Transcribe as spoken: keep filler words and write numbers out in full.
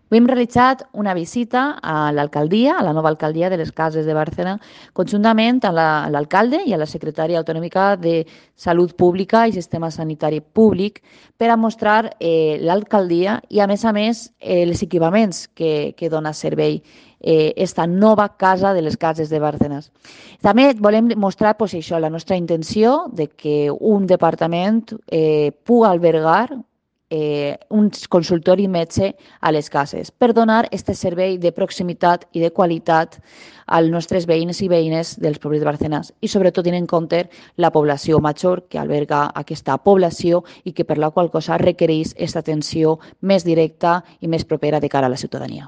Avui hem realitzat una visita a l'alcaldia, a la nova alcaldia de les Cases de Bàrcena, conjuntament amb la- amb l'alcalde i a la secretària autonòmica de Salut Pública i Sistema Sanitari Públic per a mostrar eh, l'alcaldia i, a més a més, eh, els equipaments que, que dona servei eh, esta nova casa de les Cases de Bárcenas. També volem mostrar pues, això, la nostra intenció de que un departament eh, pugui albergar eh, un consultori metge a les cases per donar aquest servei de proximitat i de qualitat als nostres veïns i veïnes dels pobles de Barcelona i sobretot tenint en compte la població major que alberga aquesta població i que per la qual cosa requereix aquesta atenció més directa i més propera de cara a la ciutadania.